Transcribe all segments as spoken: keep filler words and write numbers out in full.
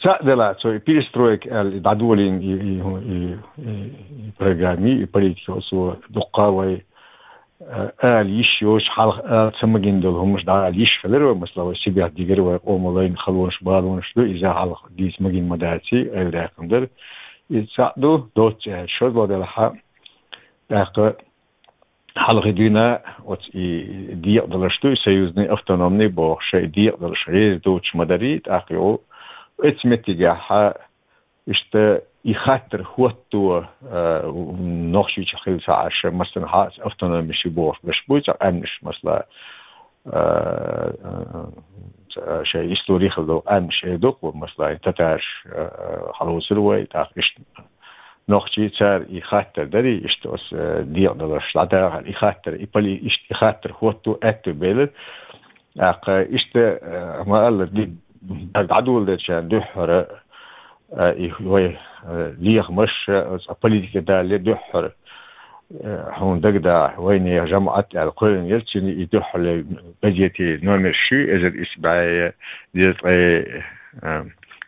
Цхьаъ делахь, цо и перестройка аьлла, и дӀадолийна и, и, и, и, и программа, и политика, оцо дуккха вай, э, ала йиш йоцуш, хьалха ала ца магийна долу хӀуманаш дӀаала йиш хилира вай, масала, вай сибат дигира, вай къоман лайна халонаш, балонаш ду, иза хьалха дийца магийна ма даций, айвадаьккхина дара. Иза цхьаъ ду, доцца аьлча, шозлагӀа делахь, тӀаккха хьалхе дуьйна оцу и декъадаларш ду, и союзный, автономный бохуш, и декъадаларш реза доцуш ма дарий, тӀаккха юха оцу меттигехь иштта и хаттар хӀотто, а, Нохчийчохь хилла ца Ӏаш, массанхьа автономия шу бохуш берш буй, цхьа къаьмнаш, масала, а, а, а, шайн истори хилла долу къаьмнаш эр ду-кх, масала, татараш, а, а, хьалоцур вай, тӀаккха иштта нохчий, цара и хаттар дарий, иштта оцу, э, декъадаларш дӀадахар, и хаттар, и поли-, иштта и хаттар хӀотто аьтту белира. ТӀаккха иштта, э, ма-аллара, ди-, дӀадоладелчарна дуьххьара, э, и вай, э, лехамаш, э, оцу политика далале дуьххьара, э, хьуна дагадахь, вайнехан жамаӀат аьлла кхоьллина яра, цуьнан и дуьххьара газетийн номерш ю, эзар исс бӀе дезткъе, э,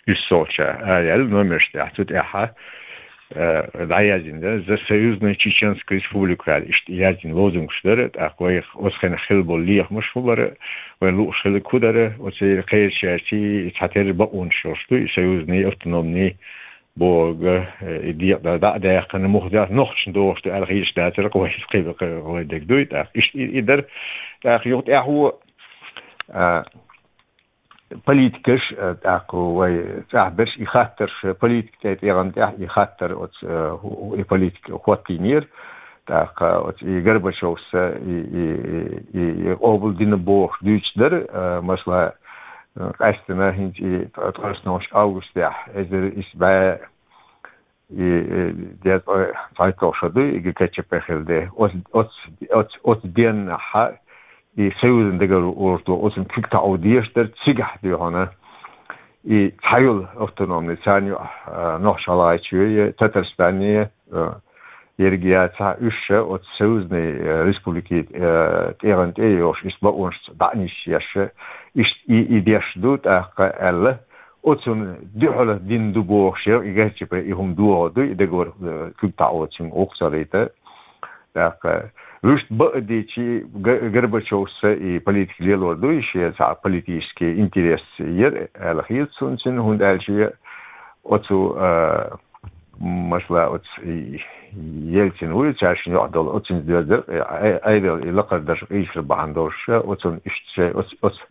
уьссалгӀача ара яьлла номерш тӀехь, цу тӀехь, э, дӀаяздина дара, «За союзную Чеченскую Республику» аьлла, иштта яздина лозунгаш дара, тӀаккха вайх оцу хенахь хилла болу лехамаш хӀун бара, вайна лууш хилларг хӀун дара, оцу кхечаьрца цхьатерра бакъонаш йолуш ду, и союзный, автономный бохург, э, и декъадар дӀа а даьккхина, муха дац, нохчашна догӀуш ду аьлла хеташ дацара, вай кхин, вай дерг дуй, тӀаккха иштта и, и дара, тӀаккха юха тӀаьхьо, а, политикаш, э, тӀаккха вай цӀахь берш и хаттарш, э, политика тӀе тӀегӀан тӀехь и хаттар оцу, э, ху-, и политика хӀоттийнера. ТӀаккха оцу и Горбачевс и, и, и, и къобал дина бохуш дуьйцуш дара, э, масала, э, къаьстина хӀинца и ткъе ткъоснолгӀачу августехь, эзар исс бӀе и, и, дезткъе цхьайтталгӀа шо дуй, и ГКЧП хилла де. Оц-, оц-, оц-, оцу деннахьа и союзан договор, оцунна куьг таӀо дезаш дара, цигахь дуй хьуна. И цхьа йолу автономный, царна ю, а, Нохч-ГӀалгӀайчоь, Татарстане, а, ерг яцахь, уьш ша оцу союзный, а, республикийн, а, тӀегӀан тӀе йохуш, иштта бакъонаш дӀа а нисъеш, иштта и, и деш ду, тӀаккха аьлла. Оцунна дуьхьал дина ду бохуш яра, и ГКЧП и хӀума дохо дуй, и договор, э, куьг таӀо цуьнга гӀуллакх ца лайта. ТӀаккха вуьшта бакъдийцчи Г-, Горбачевс и политика лелор дуй, шен цхьа политический интерес яра аьлла хета суна цуьнан, хӀунда аьлча оцу, э, масала, оцу и Ельцин вуй, цаьршинна юкъа долу, оцуьнца доьзна дара, э, э, айдал и лакхара дарж къийсар бахьана долуш, оцунна иштта шайн, оцу, оцу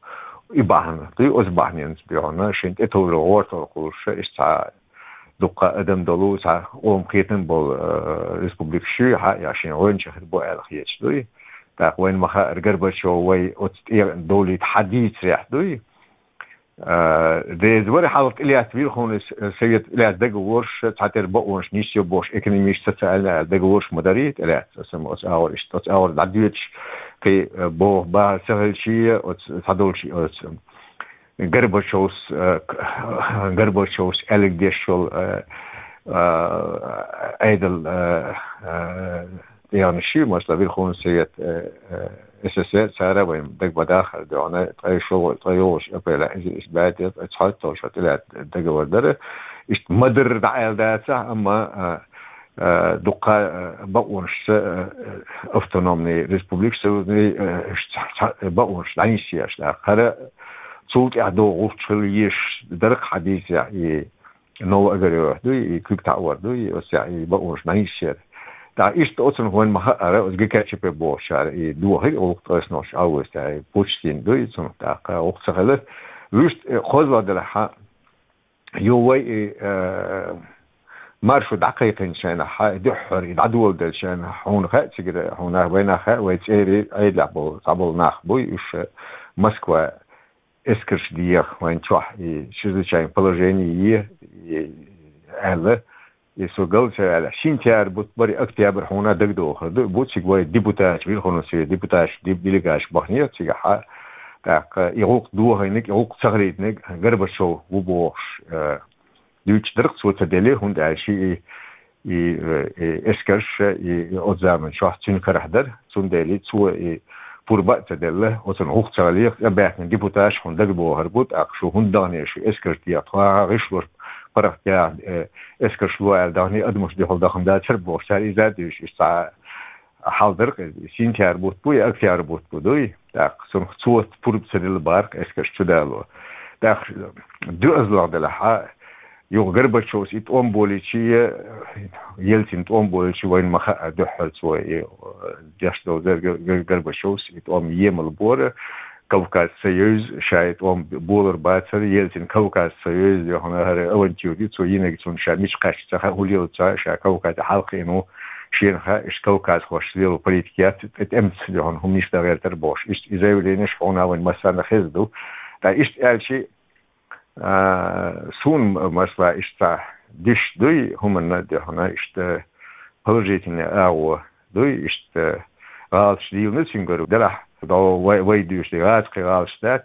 и бахьана, дуй, оцу бахьаненца дуй хьуна, шайна тӀетовжар гӀортор кхуллуш, иштта цхьа дуккха адам долу, цхьа къоман кхетам болу, э, республикаш ю, хьа, я шен гӀоьнча хир бу аьлла хеташ дуй. ТӀаккха вайна ма хаьара, Горбачев вай оцу тӀе довлийта хьан дийцарехь дуй. Э, деза вара хьалха тӀелаьцна Верховный С-, Совет тӀелаьцна договорш, цхьатерра бакъонаш нисйо бохуш, экономический, социальный аьлла договорш ма дарий тӀелаьцна, аса ма оцу агӀор иштта, оцу агӀор дӀадоьдуш, кхин, э, боху бахар ца хилчий, оцу цхьадолчий, оцу Горбачевс, э, к-, Горбачевс аьлларг деш йолу, э, э, айдал, э, э, тӀегӀанаш ю, масала, Верховный Совет, э, э, СССР, цара вайн дагабадахар дуьхьал, ткъе шо-, ткъе йолуш апрель, иза, иза баьтта, цхьайтталгӀа шо тӀелаьцна договор дара. Иштта ма-дарра дӀа аьлла дацахь, амма, э, э, дуккха, э, бакъонаш ца, э, э, автономный республика союзный, э, ш-, ца, ца, бакъонаш дӀанисъеш дара. Хара цул тӀаьхьа догӀучу хила езаш дара-кх хьан дийцарехь и Новоогарёвехь дуй, и куьг таӀор дуй, и оццехь и бакъонаш дӀанисъеш яра. ТӀаккха иштта оцунах вайна ма хаьара, оцу ГКЧП бохучара и дохира гӀуллакх ткъе ткъоснолгӀачу августехь, и Путчтин дуй, цунах тӀаккха гӀуллакх ца хилира. Вуьшта, э, кхозлагӀа делахь, хьан, ю вай и, э, маршо дӀакхайкхинчу хенахь, хьан, и дуьххьара, и дӀадоладелчу хенахь, хьуна хаьа цигара, хьуна нах, вай нах хаьа, вай цӀерийн Ӏедалехь болу, цхьаболу нах буй, уьш, э, Москва эскарш деха вайн чохь, и чрезвычайное положение е, и аьлла, и со гал ца ваьлла. Сентябрь бутт бара, октябрь хьуна дагадогӀур ду, бу цига вай депутаташ, Верховный Совет депутаташ, деб-, делегаташ бахнера цигахь, тӀаккха и гӀуллакх дохийнарг, и гӀуллакх ца хилийтинарг Горбачев ву бохуш, э, дуьйцуш дара-кх, цо ца делира, хӀунда аьлча и, и, э, и эскарш, и, и оцу заманчохь цуьнан карахь дара, цундела цо и пурба а ца делла, оцун гӀуллакх ца хилийта, цӀа баьхкина депутаташ хьуна дагабохур бу, тӀаккха шу хӀунда дахне, шу эскар техьа, тхо гӀишлуш паргӀатъяха, э, эскарш ло аьлла дахне, адамаш дуьхьал дахана дацар бохуш, цара иза а дуьйцуш, иштта цхьа хьал дара-кх иза. Сентябрь бутт бу я октябрь бутт бу дуй? ТӀаккха цунах цо пурба ца делла бара-кх эскарш чудало. ТӀаккха доьазалгӀа делахь а, юха Горбачевс и тӀом болийча, Ельцин тӀом болийча вайна ма хаьа дуьххьара цо и, э, деш долу зер Гор-, Гор-, Горбачевс и тӀом емал бора, Кавказ ца евза, ша и тӀом болур бацара, Ельцин Кавказ ца евза, яхана хӀара авантюра ю, цо йинарг цунна ша мича кхаьчча ца хаьа, хӀун лело ца хаьа, ша Кавказе хьалакхиъна ву, шена хаьа, иштта кавказхошца лело политика яц, тӀе тӀемаца, яхана, хӀуманаш дан гӀертар бохуш. Иштта и заявленеш хьуна вайн массарна хезна ду. Ткъа иштта аьлча, а, суна, масала, иштта диш дуй, хӀуманна а дуьхьал, иштта положительный агӀо дуй, иштта гӀалаташ дийна цуьнгара, делахь, дӀо вай, вай дуьйцу, гӀазкхи гӀалаташ дац,